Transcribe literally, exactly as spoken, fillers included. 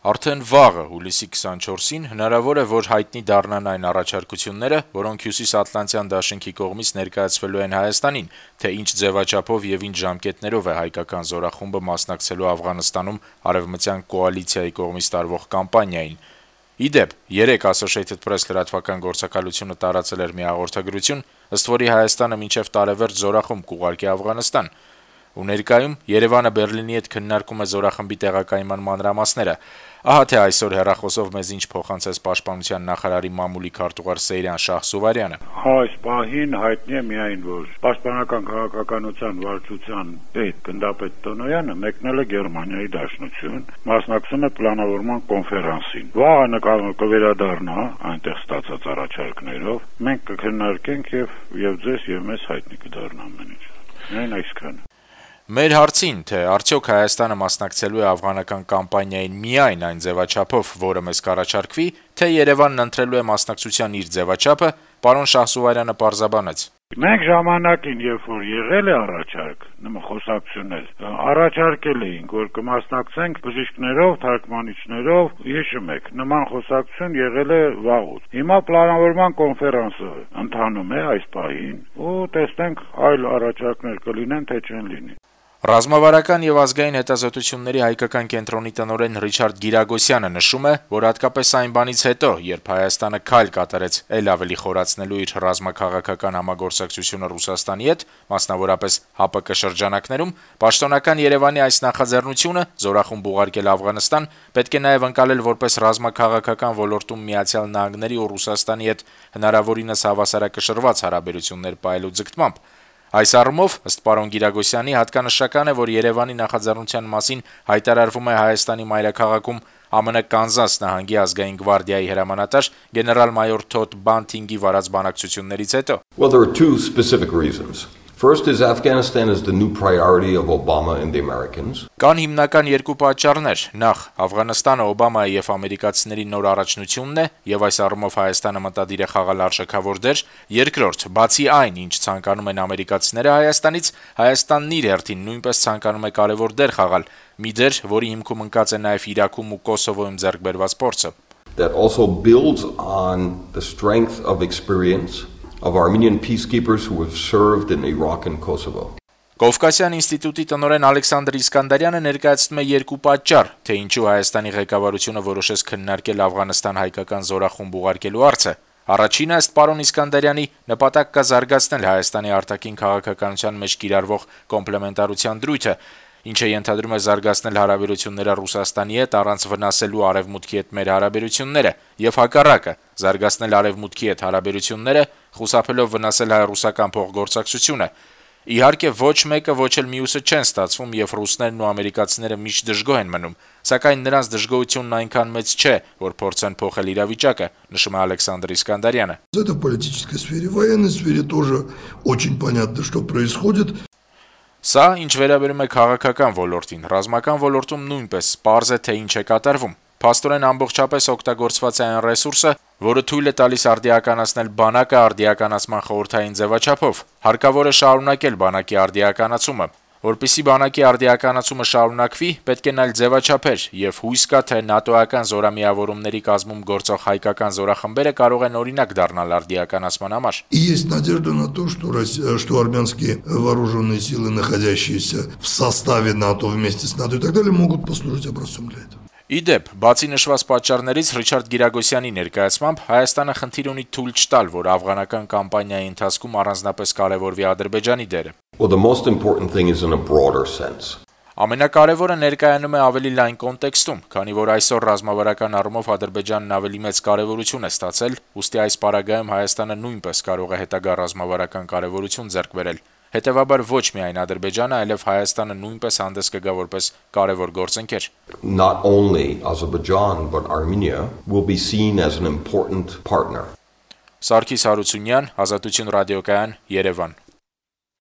Արդեն վաղը հուլիսի քսանչորսին հնարավոր է, որ հայտնի դառնան այն առաջարկությունները, որոնք Հյուսիսատլանտյան դաշինքի կողմից ներկայացվելու են Հայաստանին, թե ինչ ձևաչափով եւ ինչ ժամկետներով է հայկական զորախումբը մասնակցելու Աֆղանստանում արևմտյան կոալիցիայի կողմից տարվող կամպանիային։ Ի դեպ, երեկ Associated Press լրատվական գործակալությունը տարածել էր մի հաղորդագրություն, ըստ որի Հայաստանը մինչև տարեվերջ զորախումբ կուղարկի Աֆղանստան։ Ու ներկայում Երևանը Բերլինի հետ քննարկում է զորախմբի տեղակայման մանրամասները։ Ահա թե այսօր հեռախոսով մեզ ինչ փոխանցեց Պաշտպանության նախարարի մամուլի քարտուղար Սեյրան Շահսուվարյանը։ Այս պահին հայտնի է միայն, որ Պաշտպանական քաղաքականության վարչության պետ գնդապետ Տոնոյանը մեկնել է Գերմանիայի Դաշնություն, մասնակցում է պլանավորման կոնֆերանսին։ Վաղը կվերադառնա այնտեղ ստացած առաջարկներով, մենք կքննարկենք եւ եւ ձեզ եւ մեզ հայտնի կդառնա ամեն ինչ։ Միայն այսքանը։ Մեր հարցին, թե արդյոք Հայաստանը մասնակցելու է աֆղանական կամպանիային միայն այն ձևաչափով, որը մեզ կառաջարկվի, թե Երևանն ընտրելու է մասնակցության իր ձևաչափը, պարոն Շահսուվարյանը պարզաբանեց. Մենք ժամանակին, երբ որ եղել է առաջարկ, նման խոսակցություններ, առաջարկել էինք, որ կմասնակցենք բժիշկներով, թարգմանիչներով, հիշում եք, նման խոսակցություն եղել է վաղուց։ Հիմա պլանավորման կոնֆերանսը ընթանում է այս պահին, ու տեսնենք այլ առաջարկներ կլինեն, թե չեն լինի։ Ռազմավարական եւ ազգային հետազոտությունների հայկական կենտրոնի տնօրեն Ռիչարդ Գիրագոսյանը նշում է, որ հատկապես այն բանից հետո, երբ Հայաստանը քայլ կատարեց ել ավելի խորացնելու իր ռազմաքաղաքական համագործակցությունը Ռուսաստանի հետ, մասնավորապես ՀԱՊԿ շրջանակներում, պաշտոնական Երևանի այս նախաձեռնությունը զորախումբ ուղարկել Աֆղանստան պետք է նաեւ ընկալել որպես ռազմաքաղաքական ոլորտում Միացյալ Նահանգների ու Ռուսաստանի հետ հնարավորինս հավասարակշռված հարաբերություններ պահելու ձգտմամբ։ Այս առումով, ըստ պարոն Գիրագոսյանի, հատկանշական է, որ Երևանի նախաձեռնության մասին հայտարարվում է Հայաստանի մայրաքաղաքում ԱՄՆ Կանզաս նահանգի ազգային գվարդիայի հրամանատար գեներալ-մայոր Թոդ Բանթինգի վարած բանակցություններից հետո։ Well, there are two specific reasons. First is Afghanistan is the new priority of Obama and the Americans. Կան հիմնական երկու պատճառներ. Նախ, Աֆղանստանը Օբամայի եւ ամերիկացիների նոր առաջնությունն է եւ այս առումով Հայաստանը մտադիր է խաղալ արժեքավոր դեր։ Երկրորդ, բացի այն, ինչ ցանկանում են ամերիկացիները Հայաստանից, Հայաստանն իր հերթին նույնպես ցանկանում է կարեւոր դեր խաղալ, մի դեր, որի հիմքում ընկած է նաեւ Իրաքում ու Կոսովոյում ձեռք բերված փորձը։ That also builds on the strength of experience of Armenian peacekeepers who have served in Iraq and Kosovo. Կովկասյան ինստիտուտի տնօրեն Ալեքսանդր Իսկանդարյանը ներկայացնում է երկու պատճառ, թե ինչու Հայաստանի ղեկավարությունը որոշեց քննարկել Աֆղանստան հայկական զորախումբ ուղարկելու հարցը։ Առաջինը, ըստ պարոն Իսկանդարյանի, նպատակ կա զարգացնել Հայաստանի արտաքին քաղաքականության մեջ կիրառվող կոմպլեմենտարության դրույթը, ինչը ենթադրում է զարգացնել հարաբերությունները Ռուսաստանի հետ առանց վնասելու Արևմուտքի հետ մեր հարաբերությունները, եւ հակառակը, զարգացնել Արևմուտքի հետ հարաբերությունները, խուսափելով վնասել հայ-ռուսական փոխգործակցությունը։ Իհարկե, ոչ մեկը, ոչ էլ մյուսը չեն ստացվում, եւ ռուսներն ու ամերիկացիները միշտ դժգոհ են մնում, սակայն նրանց դժգոհությունն այնքան մեծ չէ, որ փորձեն փոխել իրավիճակը, նշում է Ալեքսանդր Իսկանդարյանը։ Это в политической сфере, в военной сфере тоже очень понятно, что происходит. Սա ինչ վերաբերում է քաղաքական ոլորտին, ռազմական ոլորտում նույնպես պարզ է, թե ինչ է կատարվում։ Փաստորեն ամբողջապես օգտագործված է այն ռեսուրսը, որը թույլ է տալիս արդիականացնել բանակը արդիականացման խորհրդային ձևաչափով։ Հարկավոր է շարունակել բանակի արդիականացումը։ Որպեսզի բանակի արդիականացումը շարունակվի, պետք է նայել ձևաչափեր, եւ հույս կա, թե ՆԱՏՕ-ական զորամիավորումների կազմում գործող հայկական զորախմբերը կարող են օրինակ դառնալ արդիականացման համար։ И есть надежда на то, что Россия, что армянские вооруженные силы, находящиеся в составе НАТО вместе с НАТО и так далее, могут послужить образцом для этого. Իդեպ, բացի նշված պատճառներից Ռիչարդ Գիրագոսյանի ներկայացմամբ Հայաստանը խնդիր ունի թույլ չտալ, որ աֆղանական կամպանիայի ընթացքում առանձնապես կարևորվի Ադրբեջանի դերը։ Well, the most important thing is in a broader sense. Ամենակարևորը ներկայանում է ավելի լայն կոնտեքստում, քանի որ այսօր ռազմավարական առումով Ադրբեջանն ավելի մեծ կարևորություն է ստացել, ուստի այս պարագայում Հայաստանը նույնպես կարող է հետագա ռազմավարական կարևորություն ձեռք բերել։ Հետևաբար ոչ միայն Ադրբեջանը, այլև Հայաստանը նույնպես հանդես կգա որպես կարևոր գործընկեր։ Not only Azerbaijan but Armenia will be seen as an important partner. Սարգիս Հարությունյան, Ազատություն ռադիոկայան, Երևան։